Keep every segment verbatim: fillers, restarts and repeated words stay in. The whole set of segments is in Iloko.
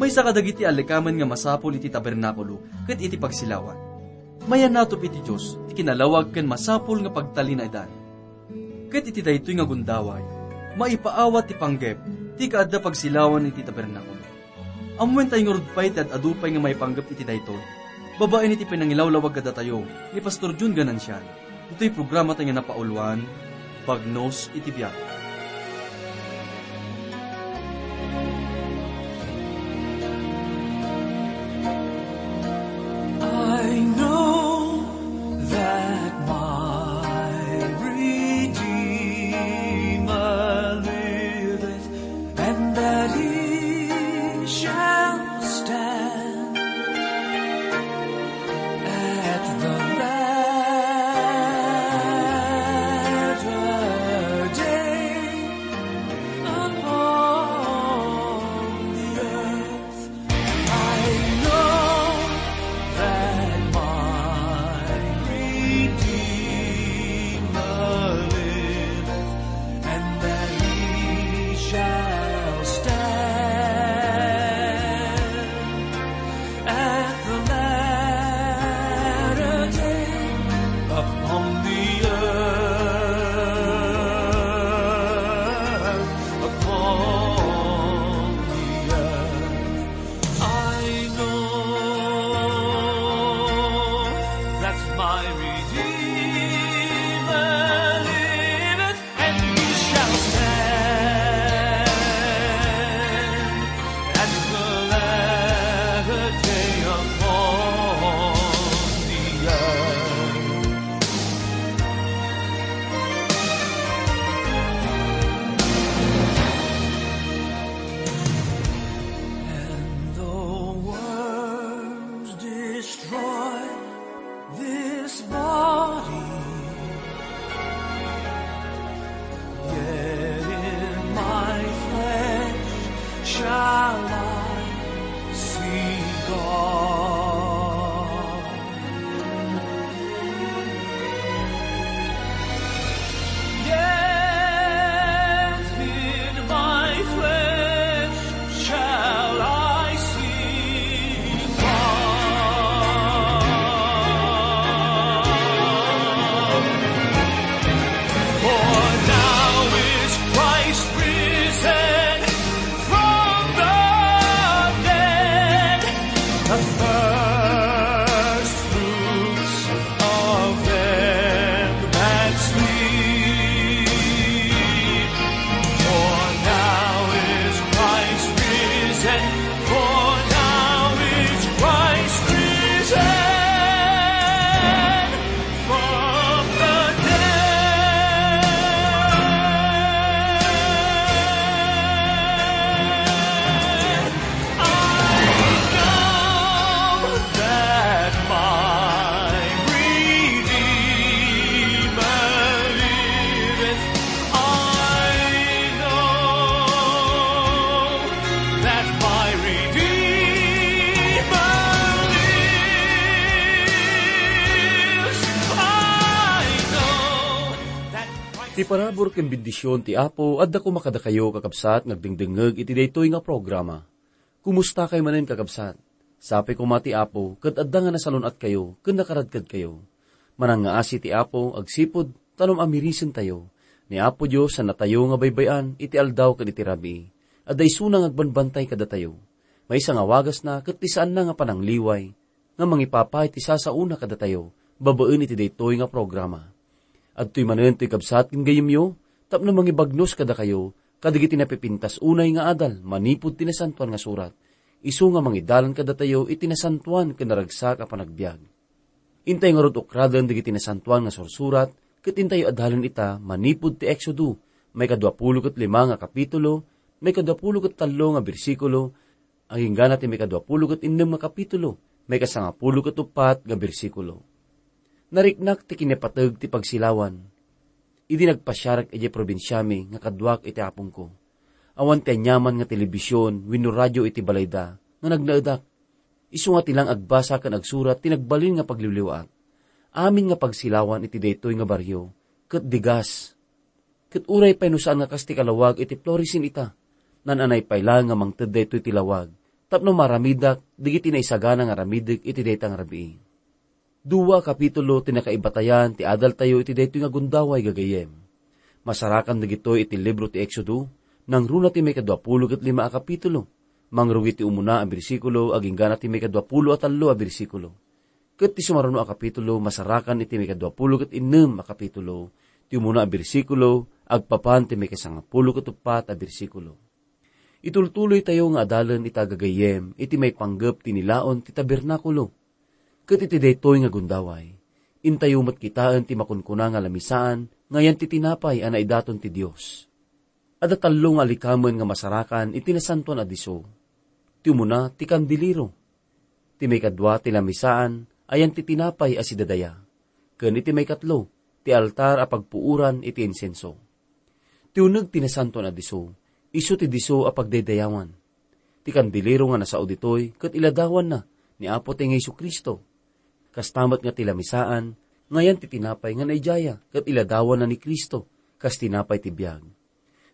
Isa kadagiti allikamen nga masapul iti tabernakulo ket iti pagsilawan. Mayannatop iti Dios ti kinalawag ken masapul nga pagtalinaedan. Ket iti daytoy nga gundaway, maipaawat ti panggep ti kaadda pagsilawan iti tabernakulo. Ammoentayo ngarud pay ti ad-adu pay nga maipanggep iti daytoy, babaen iti pinangilawlawag kadatayo ni Pastor Jun Ganancial. Ditoy programatayo nga napauluan, Bagnos iti Biag. I know that my Redeemer liveth, and that he shall stand at the latter day upon the earth. I know that my Redeemer liveth, and that he shall stand at the latter day upon the earth, upon the earth. I know that my Redeemer liveth, and he shall stand at the latter day upon the earth. And the worms destroy this body, yet in my flesh shall I see God. Yet in my flesh shall I see God. For now is Christ risen from the dead, the first fruits of them that sleep. For now is Christ risen, for now is Christ risen from the dead. I know that my Redeemer liveth. I know that my Redeemer lives. I know that Christ Ti parabur ken bendision ti Apo adda koma kadakayo, kakabsat, nga agdengdengngeg iti daytoy nga programa. Kumusta kayo manen, kakabsat? Sapay koma ti Apo ket adda nga nasalun-atkayo ken nakaradkadkayo. Manangngaasi ti Apo agsipud ta no maamirisentayo, ni Apo Dios sannatayo nga baybay-an iti aldaw ken iti rabii. Adda isuna nga agbanbantay kadatayo. Maysa nga wagasna ket ti saanna nga panangliway nga mangipapay ti sasaona kadatayo babaen iti daytoy nga programa. Adtoy manen toy kabsat ken gayyemyo tapno mangibagnos kadakayo kadagiti napipintas unay nga adal manipud ti Nasantoan nga Surat, isu nga mangidalan kadatayo iti nasantoan ken naragsak a panagbiag. Intay ngarud ukraden dagiti Nasantoan nga Sursurat ket intayo adalen ita manipud ti Exodo, maikadua pulo ket lima nga kapitulo, maikadua pulo ket tallo nga bersikulo, agingga ti maikadua pulo ket innem nga kapitulo, maikasangapulo ket uppat nga bersikulo. Nariknak ti kinapateg ti pagsilawan idi nagpasiarak idiay probinsiami nga kaduak iti apongko. Awan ti aniaman nga telebision wenno radio iti balayda nga nagnaedak. Isu nga ti lang agbasa ken agsurat ti nagbalin nga pagliwliwaak. Amin nga pagsilawan iti daytoy nga barrio ket digas. Ket uray pay no saan nga kas ti kalawag iti Florissant ita, naan-anay pay laeng nga mangted daytoy ti lawag tapno maaramidak dagiti naisagana nga aramidek iti dayta nga rabii. Dua a kapitulo ti nakaibatayan ti adaltayo iti daytoy nga gundaway, gagayyem. Masarakan dagitoy iti libro ti Exodo, nangruna ti maikadua pulo ket lima a kapitulo, mangrugi ti umuna a bersikulo, agingga na ti maikadua pulo a tallo a bersikulo. Ket ti sumaruno a kapitulo, masarakan iti maikadua pulo ket innem a kapitulo, ti umuna a bersikulo, agpapan ti maikasangapulo ket uppat a bersikulo. Itultuloytayo nga adalen ita, gagayyem, iti maipanggep ti nilaon ti tabernakulo. Ket iti daytoy nga gundaway, intayo met kitaen ti makunkuna nga lamisaan nga ayan ti tinapay a naidaton ti Dios. Adda tallo nga alikamen nga masarakan iti Nasantoan a Disso. Ti umuna, ti kandilero. Ti maikadua, ti lamisaan a ayan ti tinapay a sidadaya. Ken iti maikatlo, ti altar a pagpuoran iti insenso. Ti uneg ti Nasantoan a Disso, isu ti disso a pagdaydayawan. Ti kandilero nga nasao ditoy ket iladawanna ni Apo tayo nga Jesu-Cristo. Kasta met nga ti lamisaan, nga ayan ti tinapay nga naijaya ket iladawanna ni Cristo kas tinapay ti biag.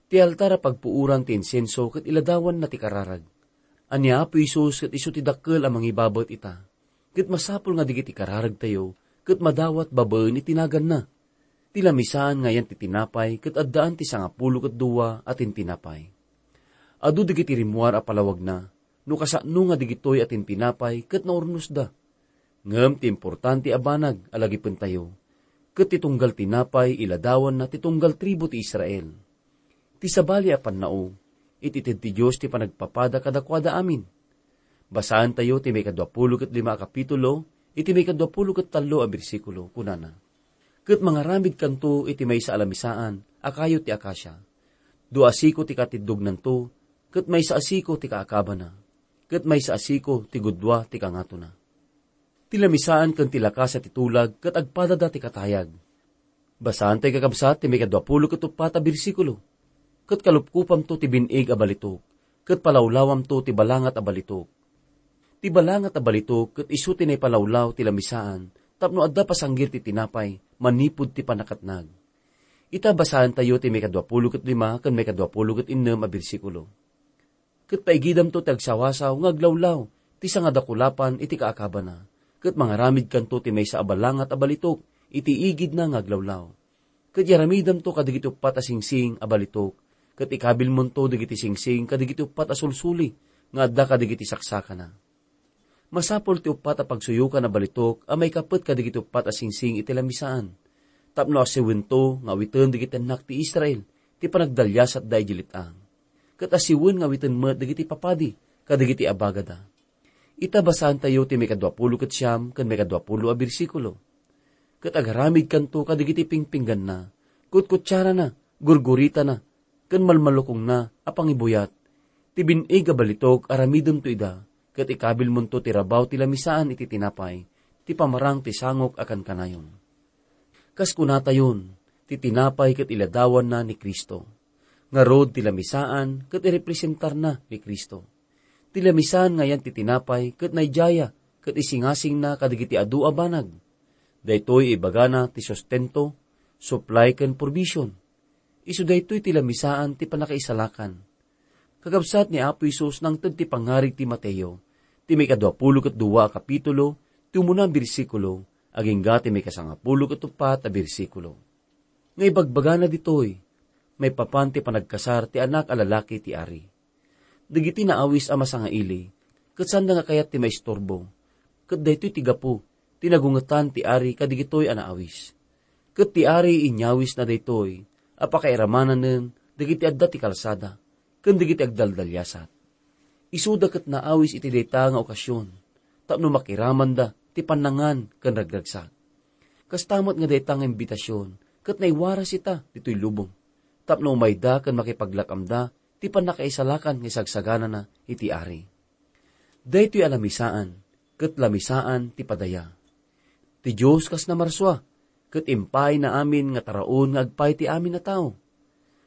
Ti altar a pagpuoran ti insenso ket iladawanna ti kararag. Ania, Apo Jesus ket isu ti dakkel a mangibabet ita. Ket masapul nga dagiti kararagtayo ket madawat babaen iti naganna. Ti lamisaan nga ayan ti tinapay ket addaan ti sangapulo ket dua a tintinapay. Adu dagiti rimmuar a palawagna, no kasano nga dagitoy a tintinapay ket naurnosda. Ngem ti importante a banag a lagipentayo, ket ti tunggal tinapay iladawanna ti tunggal tribu ti Israel. Ti sabali a pannao, iti ited ti Dios ti panagpapada kadakuada amin. Basaentayo ti maikadua pulo ket lima a kapitulo, iti maikadua pulo ket tallo a bersikulo, kunana, "Ket mangaramidkanto iti maysa a lamisaan a kayo ti akasia. Dua a siko ti katiddognanto, ket maysa a siko ti kaakabana, ket maysa a siko ti gudua ti kangatona." Ti lamisaan ken ti lakasa ti tulag ket agpadada ti katayag. Basaantayo, kakabsat, ti maikadua pulo ket uppat a bersikulo, "Ket kalupkupamto ti bin-ig a balitok, ket palawlawamto ti balangat a balitok." Ti balangat a balitok ket isu ti naipalawlaw ti lamisaan tapno adda pasanggir ti tinapay manipud ti pannakatnag. Ita, basaantayo ti maikadua pulo ket lima ken maikadua pulo ket innem a bersikulo. "Ket paigidamto ti agsawasaw nga aglawlaw ti sangadakulapan iti kaakabana, ket mangaramidkanto ti maysa a balangat a balitok iti igidna nga aglawlaw. Ket iaramidamto kadagiti uppat a singsing a balitok, ket ikabilmonto dagiti singsing kadagiti uppat a sulsuli nga adda kadagiti saksakana. Masapul ti uppat a pagsuyokan a balitok a maikapet kadagiti uppat a singsing iti lamisaan, tapno asiwento nga awiten dagiti annak ti Israel ti panagdaliasatda idiay let-ang, ket asiwen nga awiten met dagiti papadi kadagiti abagada." Ita, basaantayo ti maikadua pulo ket siam ken maikadua pulo a bersikulo. "Ket agaramidkanto kadagiti pingpingganna, kutkutsarana, gurguritana, ken malmalukongna a pangibuyat. Ti bin-ig a balitok, aramidemto ida, ket ikabilmonto ti rabaw ti lamisaan iti tinapay, ti pamarang ti sangok a kankanayon." Kas kunatayon, ti tinapay ket iladawanna ni Cristo. Ngarud, ti lamisaan ket irepresentarna ni Cristo. Ti lamisaan nga ayan ti tinapay ket naijaya ket isingasingna kadagiti adu a banag. Daytoy ibagana ti sustento, supply ken provision. Isu daytoy ti lamisaan ti pannakaisalakan. Kakabsat, ni Apo Jesus nangted ti pangngarig ti Mateo, ti maikadua pulo ket dua a kapitulo, ti umuna a bersikulo, agingga ti maikasangapulo ket uppat a bersikulo. Nga ibagbagana ditoy, maipapan ti panagkasar ti anak a lalaki ti ari. Dagiti naawis a masangaili, ket saanda nga kayat ti maisturbo. Ket daytoy ti gapu ti nagungetan ti ari kadagitoy a naawis. Ket ti ari inyawisna daytoy a pakairamananen dagiti adda ti kalsada ken dagiti agdaldaliasat. Isuda ket naawis iti dayta nga okasion tapno makiramanda ti pannangan ken ragragsak. Kasta met nga dayta nga imbitasion ket naiwaras ita ditoy lubong tapno umayda ken makipaglak-amda ti pannakaisalakan nga isagsaganana iti ari. Daytoy a lamisaan ket lamisaan ti padaya. Ti Dios kas namarsua, ket impaayna amin nga taraon nga agpay ti amin a tao.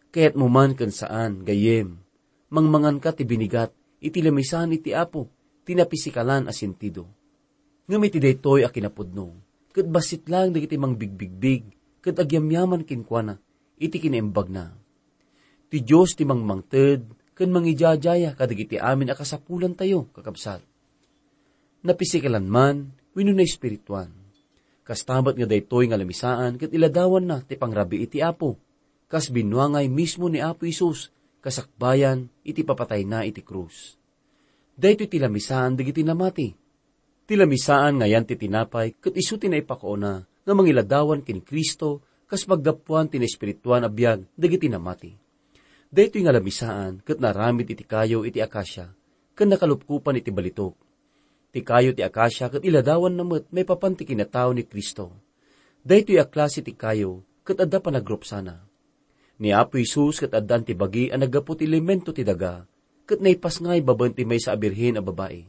Kayatmo man ken saan, gayyem, mangmanganka ti binigat iti lamisaan iti Apo ti napisikalan a sentido. Ngem iti daytoy a kinapudno, ket bassit laeng dagiti mangbigbigbig ket agyamyaman kenkuana iti kinaimbagna. Ti Dios ti mangmangted ken mangidiadiaya kadagiti amin a kasapulantayo, kakabsat. Napisikalan man wenno naespirituan. Kasta met nga daytoy nga lamisaan ket iladawanna ti pangrabii ti Apo, kas binuangay mismo ni Apo Jesus kasakbayan iti papatayna iti krus. Daytoy ti lamisaan dagiti namati. Ti lamisaan nga ayan ti tinapay ket isu ti naipakuona nga mangiladawan ken Cristo kas paggapuan ti naespirituan a biag dagiti namati. Daytoy nga lamisaan ket naaramid iti kayo iti akasia ken nakalupkopan iti balitok. Ti kayo ti akasia ket iladawanna met maipapan ti kinatao ni Cristo. Daytoy a klase ti kayo ket adda panagrupsana. Ni Apo Jesus ket addaan ti bagi a naggapu ti elemento ti daga, ket naipasngay babaen ti maysa a birhen a babai.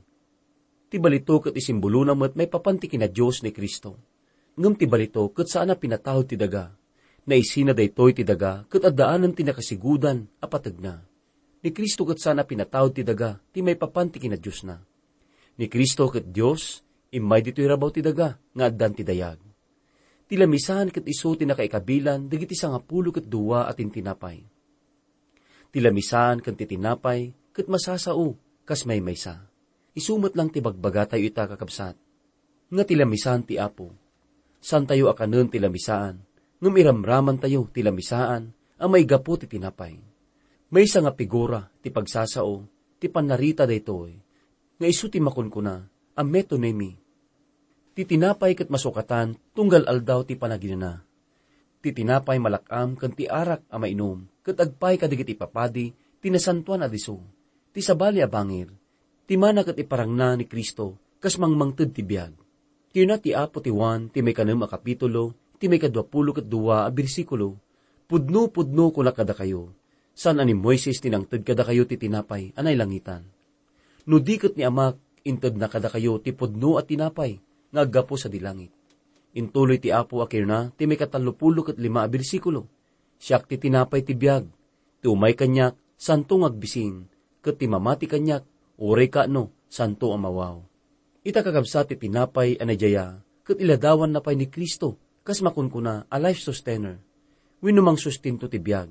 Ti balitok ket isimbolona met maipapan ti kinadios ni Cristo. Ngem ti balitok ket saan a pinatawd ti daga. Naisina daytoy ti daga ket addaanan ti nakasigudan a pategna. Ni Cristo ket saan a pinatawd ti daga ti maipapan ti kinadiosna. Ni Cristo ket Dios, immay ditoy rabaw ti daga nga addan ti dayag. Ti lamisaan ket isu ti nakaikabilan dagiti sangapulo ket dua a tintinapay. Ti lamisaan ken ti tinapay ket masasao kas maymaysa. Isu met lang ti bagbagatayo ita, kakabsat, nga ti lamisaan ti Apo. Santayo a kanen ti lamisaan, ngem iramramantayo ti lamisaan a maigapu ti tinapay. Maysa nga figura ti pagsasao ti pannarita daytoy, nga isu ti makunkuna a metonymy. Ti tinapay ket masukatan tunggal aldaw ti panaginana. Ti tinapay malak-am ken ti arak a mainum ket agpaay kadagiti ipapadi ti nasantoan a disso, ti sabali a bangir, ti mana ket iparangna ni Cristo kas mangmangted ti biag. Kinuna ti Apo ti Juan ti maikanem a kapitulo, ti maikadua pulo ket dua a bersikulo, "Pudno, pudno, kunak kadakayo, saan a ni Moises ti nangted kadakayo ti tinapay a nailangitan. No di ket ni Amak, intedna kadakayo ti pudno a tinapay nga aggapu sadi langit." Intuloy ti Apo a kinuna ti maikatallopulo ket lima a bersikulo, "Siak ti tinapay ti biag. Ti umay kaniak, santo nga agbisin, ket ti mamati kaniak, uray kaano, santo a mawaw." Ita, kakabsat, ti tinapay a nadiaya ket iladawanna pay ni Cristo kas makunkuna a life sustainer, wenno mangsustento ti biag.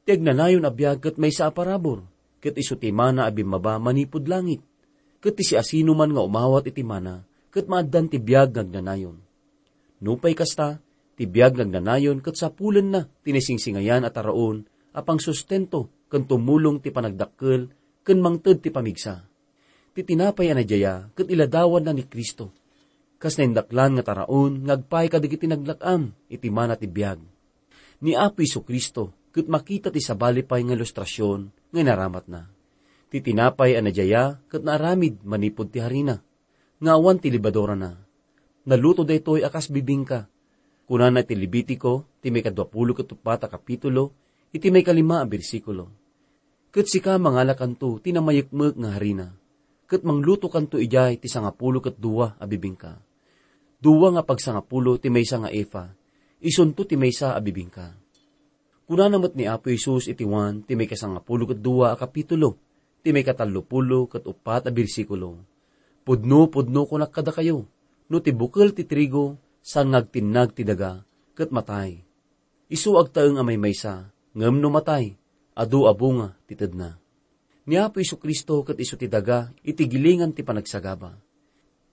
Ti agnanayon a biag ket maysa a parabur, ket isu ti mana a bimmaba manipud langit, ket ti siasinoman nga umawat iti mana ket maaddan ti biag nga agnanayon. Nupay kasta, ti biag nga agnanayon ket sapulenna ti naisingsingayan a taraon a pangsustento ken tumulong ti panagdakkel ken mangted ti pamigsa. Ti tinapay a nadiaya ket iladawanna ni Cristo, kas naindaklan nga taraon nga agpaay kadagiti naglak-am iti mana ti biag. Ni Apo Jesu-Cristo ket makita ti sabali pay nga ilustrasion nga inaramatna. Ti tinapay a nadiaya ket naaramid manipud ti harina, nga awan ti lebadurana. Naluto daytoy a kas bibingka. Kunana iti Levitico, ti maikadua pulo ket uppat a kapitulo, iti maikalima a bersikulo, "Ket sika, mangalakanto ti namayekmek nga harina, ket manglutokanto idiay ti sangapulo ket dua a bibingka. Dua nga pagsangapulo ti maysa nga efa, isunto ti maysa a bibingka." Kunana met ni Apo Jesus iti Juan ti maikasangapulo ket dua a kapitulo, ti maikatallopulo ket uppat a bersikulo, "Pudno, pudno, kunak kadakayo, no ti bukel ti trigo saan nga agtinnag ti daga, ket matay. Isu agtaeng a maymaysa, ngem no matay, adu a bunga ti tedna." Ni Apo Jesu-Cristo ket isu ti daga iti gilingan ti panagsagaba.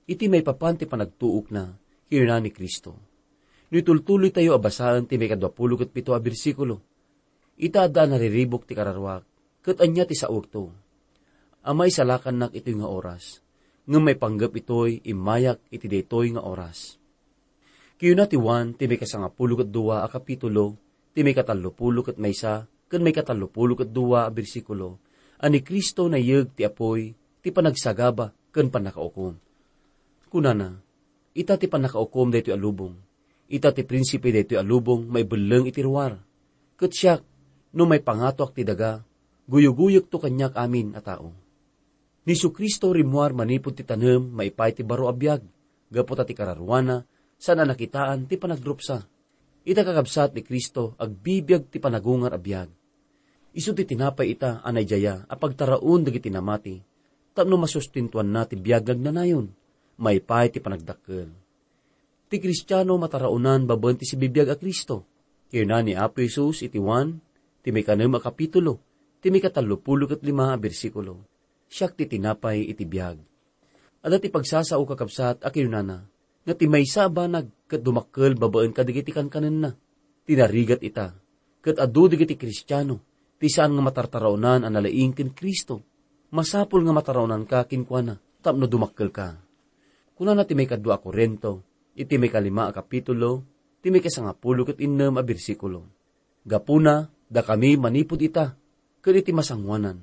Iti maipapan ti panagtuokna, kinuna ni Cristo. No itultuloytayo a basaen ti maikadua pulo ket pito a bersikulo, "Ita, adda a nariribuk ti kararuak, ket ania ti saokto? Ama, isalakannak itoy nga oras, ngem maipanggep itoy immayak iti daytoy nga oras." Kinuna ti Juan ti maikasangapulo ket dua a kapitulo, ti maikatallopulo ket maysa ken maikatallopulo ket dua a bersikulo, a ni Cristo naiyeg ti apuy ti panagsagaba ken pannakaukom. Kunana, "Ita ti pannakaukom daytoy a lubong. Ita ti prinsipe daytoy a lubong maibelleng iti ruar. Ket siak, no maipangatoak ti daga, guyoguyegto kaniak amin a tao." Ni Jesu-Cristo rimmuar manipud ti tanem maipaay ti baro a biag, gapu ta ti kararuana, saan a nakitaan ti panagrupsa. Ita, kakabsat, ni Cristo agbibiag ti panagungar a biag. Isu ti tinapay ita a naidaya a pagtaraon dagiti namati, tapno masustentuanna ti biag nga agnanayon, maipaay ti panagdakkel. Ti Kristiano mataraonan babaen ti sibibiag a Cristo. Kinuna ni Apo Jesus iti Juan, ti maikanem a kapitulo, ti maikatallopulo ket lima a bersikulo, "Siak ti tinapay iti biag." Adda ti pagsasao, kakabsat, a kinunana nga ti maysa a banag ket dumakkel babaen kadagiti kankanenna. Ti narigat ita, ket adu dagiti Kristiano ti saan nga matartaraonan a nalaing ken Cristo. Masapul nga mataraonanka kenkuana tapno dumakkelka. Kunana ti maikadua a Corinto, iti maikalima a kapitulo, ti maikasangapulo ket innem a bersikulo, "Gapuna, dakami manipud ita, ket iti masangoanan,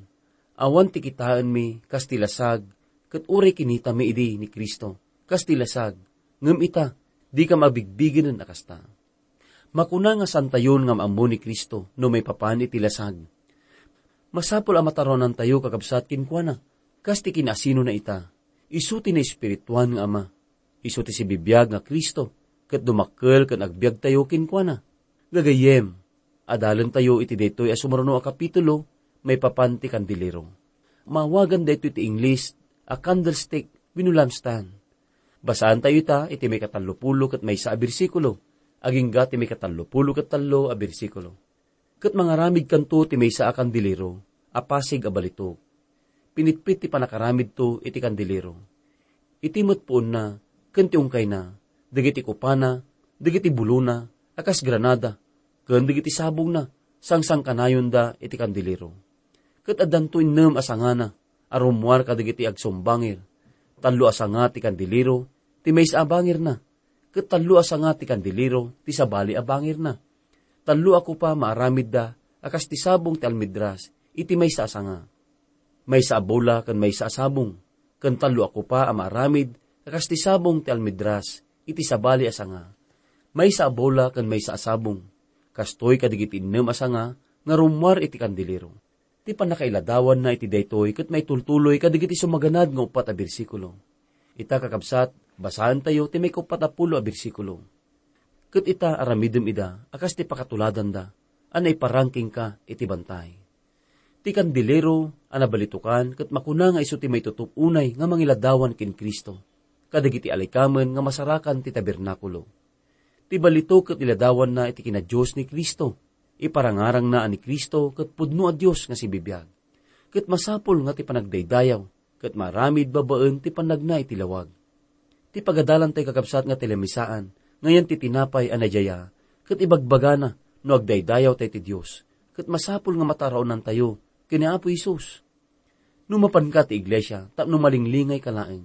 awan ti kitaenmi kas ti lasag, ket uray kinitami idi ni Cristo kas ti lasag, ngem ita, dikam abigbigenen a kasta." Makuna nga saantayon nga maammo ni Cristo no maipapan iti lasag. Masapul a mataraonantayo, kakabsat, kenkuana, kas ti kinaasinona ita. Isu ti naespirituan nga Ama. Isu ti sibibiag nga Cristo, ket dumakkel ken agbiagtayo kenkuana. Gagayyem, adalentayo iti daytoy a sumaruno a kapitulo maipapan ti kandilero. Maawagan daytoy ti Ingles a candlestick wenno lampstand. Basaantayo ita iti maikatallopulo ket maysa a bersikulo, agingga ti maikatallopulo ket tallo a bersikulo. Ket mangaramidkanto ti maysa a kandilero a pasig a balitok. Pinitpit ti pannakaramidto iti kandilero. Iti met puonna ken ti ungkayna, dagiti kupana, dagiti bulona a kas granada, ken dagiti sabongna, sangsangkanayonda iti kandilero. Ket addanto innem a sangana a rummuar kadagiti agsumbangir. Tallo a sanga ti kandilero ti maysa a bangirna, ket tallo a sanga ti kandilero ti sabali a bangirna. Tallo a kopa maaramidda a kas ti sabong ti almedras iti maysa a sanga. Maysa a bola ken maysa a sabong, ken tallo a kopa a maaramid a kas ti sabong ti almedras iti sabali a sanga. Maysa a bola ken maysa a sabong. Kastoy kadagiti innem a sanga nga rummuar iti kandilero. Ti pannakailadawanna iti daytoy ket maitultuloy kadagiti sumaganad nga uppat a bersikulo. Ita, kakabsat, basaentayo ti maikauppat a pulo a bersikulo. "Ket ita, aramidem ida a kas ti pakatuladanda a naiparang kenka iti bantay." Ti kandilero a nabalitokan ket makuna nga isu ti maitutup unay nga mangiladawan ken Cristo kadagiti alikamen nga masarakan ti tabernakulo. Ti balitok ket iladawanna iti kinadios ni Cristo. Iparangarangna a ni Cristo ket pudno a Dios nga sibibiag. Ket masapul nga ti panagdaydayaw ket maaramid babaen ti pannagna iti lawag. Ti pagadalantayo, kakabsat, nga ti lamisaan nga yan ti tinapay a nadiaya, ket ibagbagana no agdaydayawtayo ti Dios, ket masapul nga mataraonantayo ken ni Apo Jesus. No mapanka ti iglesia tapno malinglingayka laeng,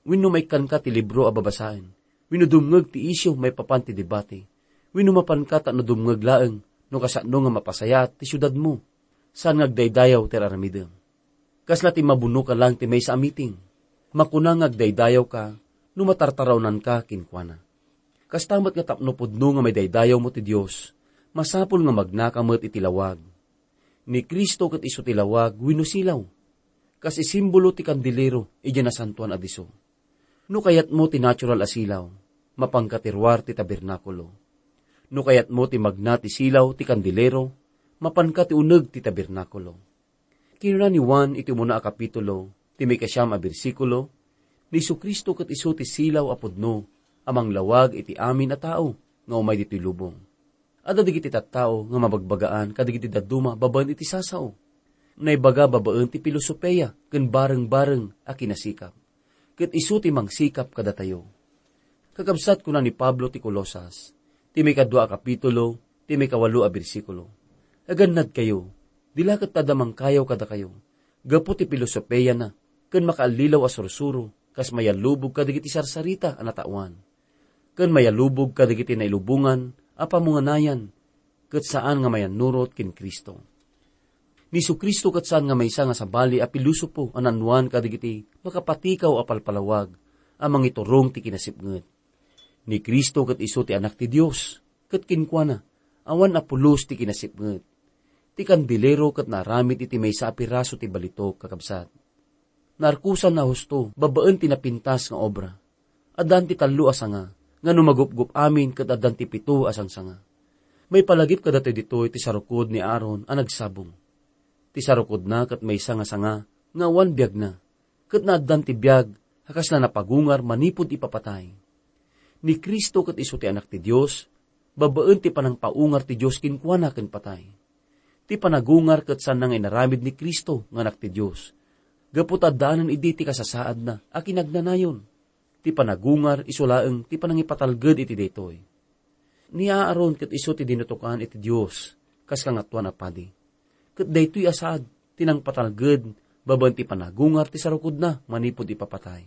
wenno maikkanka ti libro a babasaen, wenno dumngeg ti isyu maipapan ti debate, wenno mapanka tapno dumngeg laeng no kasano nga mapasayaat ti siudadmo, saan nga agdaydayaw ti ar-aramidem. Kasla ti mabunoka laeng ti maysa a meeting. Makuna nga agdaydayawka no matartaraonanka kenkuana. Kasta met nga tapno pudno nga maidaydayawmo ti Dios, masapul nga magnaka met iti lawag. Ni Cristo ket isu ti lawag wenno silaw. Kas isimbolo ti kandilero idiay Nasantoan a Disso. No kayatmo ti natural a silaw, mapanka ti ruar ti tabernakulo. No kayatmo ti magna ti silaw ti kandilero, mapanka ti uneg ti tabernakulo. Kinuna ni Juan iti umuna a kapitulo, ti maikasiam a bersikulo, "Ni Jesu-Cristo ket isu ti silaw a pudno a manglawag iti amin a tao nga umay ditoy lubong." Adda dagiti tattao nga mabagbagaan kadagiti dadduma babaen iti sasao. Naibaga babaen ti pilosopia ken bareng-bareng a kinasikap. Ket isu ti mangsikap kadatayo. Kakabsat, kuna ni Pablo ti Colosas, ti maikadua a kapitulo, ti maikawalo a bersikulo, "Agannadkayo, di la ket adda mangkayaw kadakayo, gapu ti pilosopiana, ken makaallilaw a sursuro, kas mayallubog kadagiti sarsarita a nataoan, ken mayallubog kadagiti nailubongan a pamunganayan, ket saan nga mayannurot ken Cristo." Ni Jesu-Cristo ket saan nga maysa nga sabali a pilosopo a naannuan kadagiti makapatikaw a palpalawag a mangiturong ti kinasipnget. Ni Cristo ket isu ti Anak ti Dios, ket kenkuana, awan a pulos ti kinasipnget. Ti kandilero ket naaramid iti maysa a piraso ti balitok, kakabsat. Naarkosan a husto babaen ti napintas nga obra. Addan ti tallo a sanga, nga no magupgup amin ket addan ti pito a sangsanga. Maipalagip kadatayo ditoy ti sarukod ni Aaron a nagsabong. Ti sarukodna ket maysa nga sanga nga awan biagna, ket naaddan ti biag a kasla napagungar manipud ipapatay. Ni Cristo ket isu ti Anak ti Dios, babaen ti panangpaungar ti Dios kenkuana ken patay. Ti panagungar ket saanna nga inaramid ni Cristo nga Anak ti Dios, gapu ta addaanan idi ti kasasaadna a kinagnanayon. Ti panagungar isu laeng ti panangipatalged iti daytoy. Ni Aaron ket isu ti dinutokan iti Dios kas Kangatoan a Padi. Ket daytoy a saad ti nangpatalged babaen ti panagungar ti sarukodna manipud ipapatay.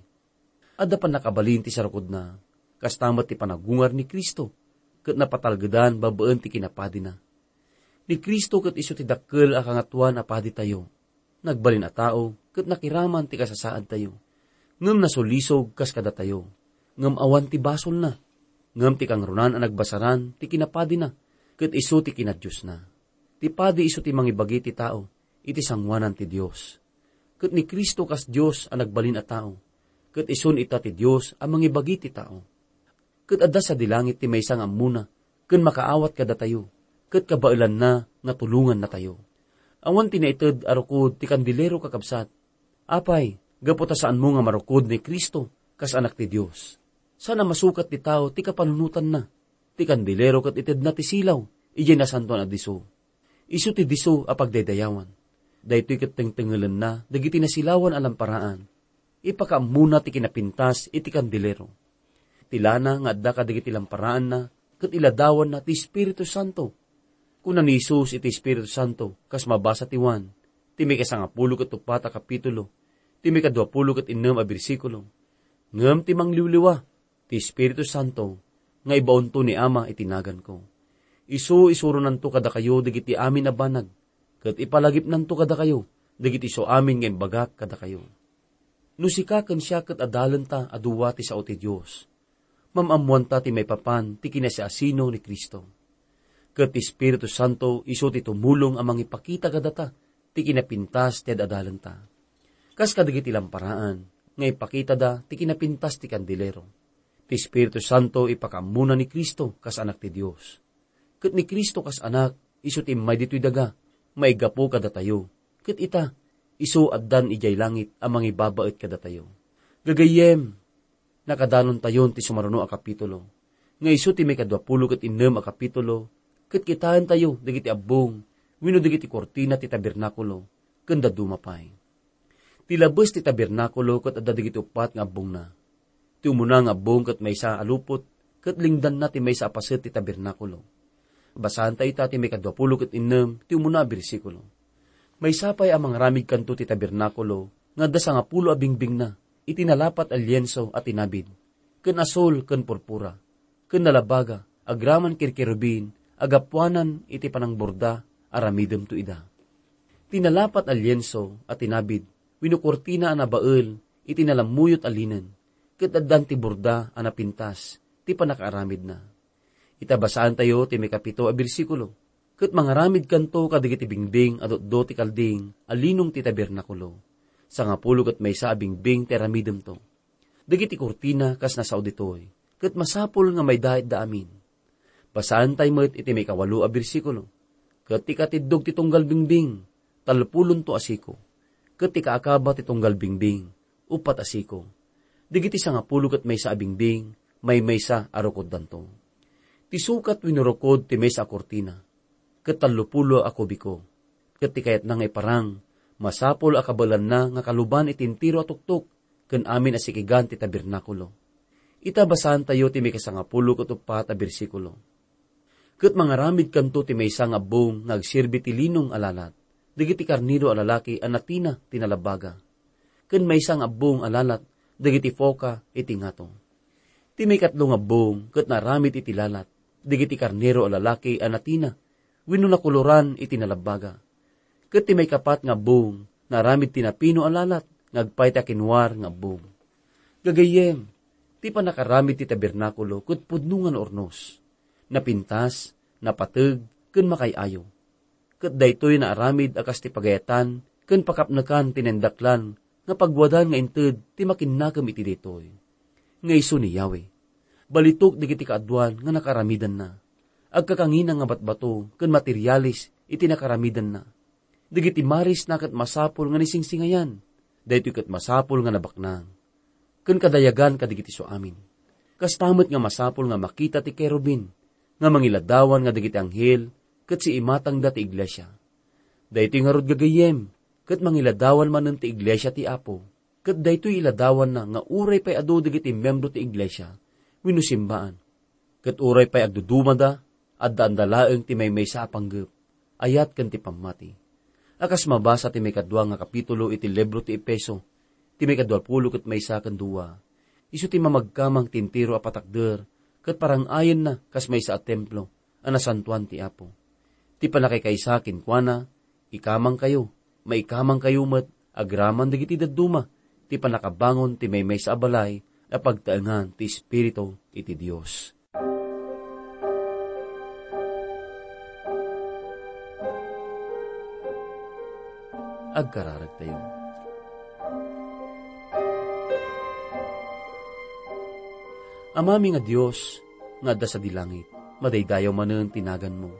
Adda pannakabalin ti sarukodna, kasta met ti panagungar ni Cristo, ket napatalgedan babaen ti kinapadina. Ni Cristo ket isu ti dakkel a Kangatoan a Paditayo. Nagbalin a tao ket nakiraman ti kasasaadtayo. Ngem nasulisog kas kadatayo. Ngem awan ti basolna. Ngem ti kangrunaan a nagbasaran ti kinapadina, ket isu ti kinadiosna. Ti padi isu ti mangibagi ti tao iti sangoanan ti Dios. Ket ni Cristo kas Dios a nagbalin a tao, ket isun ita ti Dios a mangibagi ti tao. Ket adda sadi langit ti maysa nga ammona ken makaawat kadatayo, ket kabaelanna nga tulongannatayo. Awan ti naited a rukod ti kandilero, kakabsat. Apay, gapu ta saanmo nga marukod ni Cristo kas Anak ti Dios? Saan a masukat ti tao ti kapanunotanna. Ti kandilero ket itedna ti silaw idiay Nasantoan a Disso. Isu ti disso a pagdaydayawan. Daytoy ket tengtengelenna dagiti nasilawan a lamparaan. Ipakaammona ti kinapintas iti kandilero. Ti lana nga adda kadagiti lamparaanna ket iladawanna ti Espiritu Santo. Kuna ni Jesus iti Espiritu Santo, kas mabasa ti Juan, ti maikasangapulo ket uppat a kapitulo, ti maikaduapulo ket innem a bersikulo, "Ngem ti mangliwliwa, ti Espiritu Santo, nga ibaonto ni Ama iti naganko. Isu isuronanto kadakayo dagiti amin a banag, ket ipalagipnanto kadakayo dagiti isu amin nga imbagak kadakayo." No sika ken siak ket adalenta a dua ti sao ti Dios, mam-ammoanta ti maipapan ti kinasiasino ni Cristo. Ket ti Espiritu Santo isu ti tumulong a mangipakita kadata ti kinapintas ti ad-adalenta. Kas kadagiti lamparaan nga ipakitada ti kinapintas ti kandilero, ti Espiritu Santo ipakaammona ni Cristo kas Anak ti Dios. Ket ni Cristo kas Anak, isu ti immay ditoy daga, maigapu kadatayo. Ket ita, isu addan idiay langit a mangibabaet kadatayo. Gagayyem, nakadanontayon ti sumaruno a kapitulo, nga isu ti maikaduapulo ket innem a kapitulo, ket kitaentayo dagiti abbong wenno dagiti kurtina ti tabernakulo, ken dadduma pay. Ti labes ti tabernakulo ket adda dagiti uppat nga abbongna. Ti umuna nga abbong ket maysa a lupot, ket lingdanna ti maysa a paset ti tabernakulo. Basaanta ita ti maikaduapulo ket innem ti umuna a bersikulo. Maysa pay a mangaramidkanto ti tabernakulo nga adda sangapulo a bingbingna iti nalapat a lienso a tinabid, ken asul ken purpura, ken nalabaga agraman ken kerubin a gapuanan iti panangburda. Aramidemto ida. Ti nalapat a lienso a tinabid wenno kurtina a nabael iti nalammuyot a linen, ket addan ti burda a napintas ti pannakaaramidna. Ita basaantayo ti maikapito a bersikulo, "Ket mangaramidkanto kadagiti bingbing a dutdo ti kalding a linong ti tabernakulo, sangapulo ket maysa a bingbing ti aramidemto." Dagiti kurtina kas nasao ditoy, ket masapul nga maidaitda amin. Basaantay met iti maikawalo a bersikulo, "Ket ti katiddog ti tunggal bingbing, talpulonto a siko. Ket ti kaakaba ti tunggal bingbing, uppat a siko. Dagiti sangapulo ket maysa a bingbing, maymaysa a rukoddanto." Ti sukat wenno rukod ti maysa a kurtina, ket tallopulo a kubiko. Ket ti kayatna nga iparang, masapul a kabaelanna nga kaluban iti entero a tuktok ken amin a sikigan ti tabernakulo. Ita basaantayo ti maikasangapulo ket uppat a bersikulo. "Ket mangaramidkanto ti maysa nga abbong nga agserbi ti linong a lalat dagiti karnero a lalaki a natina ti nalabaga, ken maysa nga abbong a lalat dagiti foka iti ngato. Ti maikatlo nga abbong ket naaramid iti lalat dagiti karnero a lalaki a natina wenno nakoloran iti nalabaga. Ket ti maikapat nga abbong naaramid ti napino a lalat nga agpayta kinwar nga abbong." Gagayyem, ti pannakaramid ti tabernakulo ket pudno nga naurnos, napintas, napateg, ken makaay-ayo. Ket daytoy naaramid a kas ti pagayatan ken pakapnekan ti naindaklan nga pagwadan nga inted ti makinnakem iti daytoy, nga isu ni Yahweh. Balitok dagiti kaaduan nga nakaramidanna. Agkakangina nga batbato ken materialis iti nakaramidanna. Dagiti marisna ket masapul nga nisingsingayan. Daytoy ket masapul nga nabaknang ken kadayagan kadagiti suamin. Kasta met nga masapul nga makita ti kerubin nga mangiladawan nga dagiti anghel ket siimatangda ti iglesia. Daytoy ngarud, gagayyem, ket mangiladawan manen ti iglesia ti Apo, ket daytoy iladawanna nga uray pay adu dagiti membro ti iglesia wenno simbaan, ket uray pay agdudumada, addaanda laeng ti maymaysa a panggep, ayat ken ti pammati. A kas mabasa ti maikadua nga kapitulo iti libro ti Efeso, ti maikadua pulo ket maysa ken dua, isu ti mamagkamang ti entero a patakder, ket parang-ayenna kas maysa a templo a nasantoan ti Apo. Ti pannakaykaysa kenkuana, ikamangkayo, maikamangkayo met agraman dagiti dadduma, ti pannakabangon ti maymaysa a balay a pagtaengan ti Espiritu iti Dios. Agkararagtayo. Amami nga Dios, nga adda sadi langit, madaydayaw manen ti naganmo.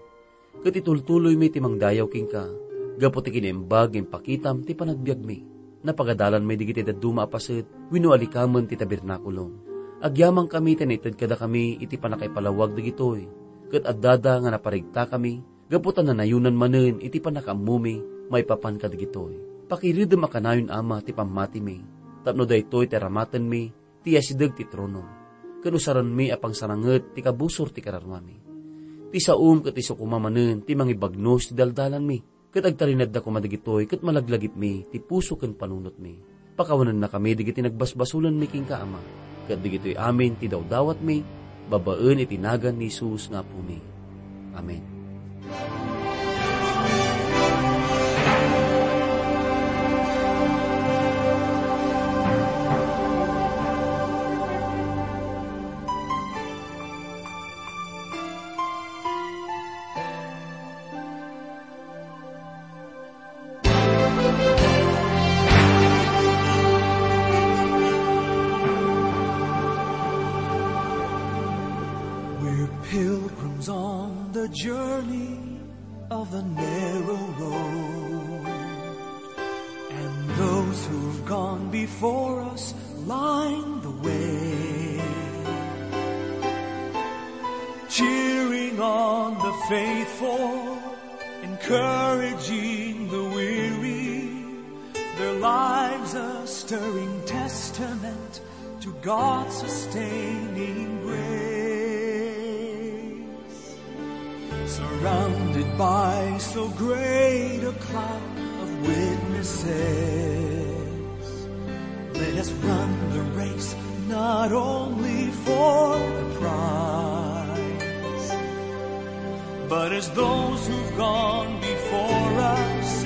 Ket itultuloymi ti mangdayaw kenka, gapu ti kinaimbag nga impakitam ti panagbiagmi. Napagadalanmi dagiti dadduma a paset wenno alikamen ti tabernakulo. Agyamankami ti naited kadakami iti pannakaipalawag dagitoy, ket addada nga naparigtakami, gapu ta nanayonan manen iti pannakaammomi maipapan kadagitoy. Pakiredem a kanayon, Ama, ti pammatimi, tapno daytoy ti aramatenmi ti asideg ti tronom, ken usarenmi a pangsaranget ti kabusor ti kararuami. Ti saom ket isu koma manen ti mangibagnos ti daldalanmi, ket agtarinedda koma dagitoy ket malaglagipmi ti puso ken panunotmi. Pakawanennakami dagiti nagbasbasolenmi kenka, Ama, ket dagitoy amin ti dawdawatmi babaen iti nagan ni Jesus nga Apomi. Amen. We're pilgrims on the journey of the narrow road, and those who've gone before us line the way, cheering on the faithful, encouraging the weary. Their lives a stirring testament to God's sustaining grace. Surrounded by so great a cloud of witnesses, let us run the race not only for the prize, but as those who've gone before us,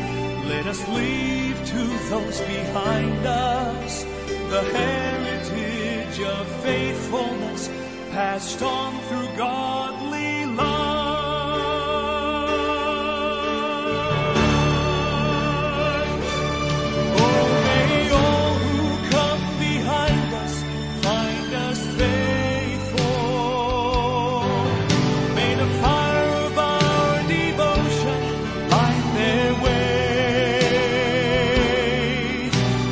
let us leave to those behind us the heritage of faithfulness passed on through godly love. Oh, may all who come behind us find us faithful. May the fire of our devotion light their way.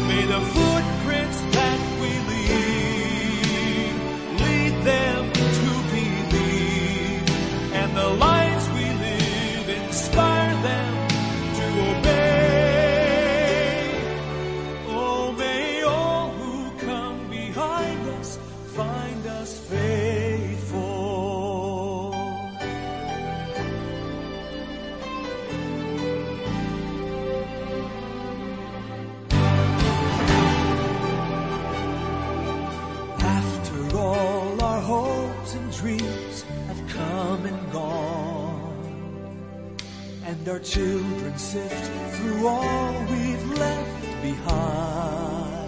May the footprints that we leave lead them to believe, and the lives we live inspire them to obey. Oh, may all who come behind us find us faithful. After all, our hopes and dreams have come and gone, and our children sift through all we've left behind.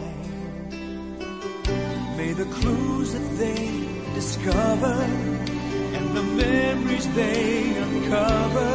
May the clues that they discover and the memories they uncover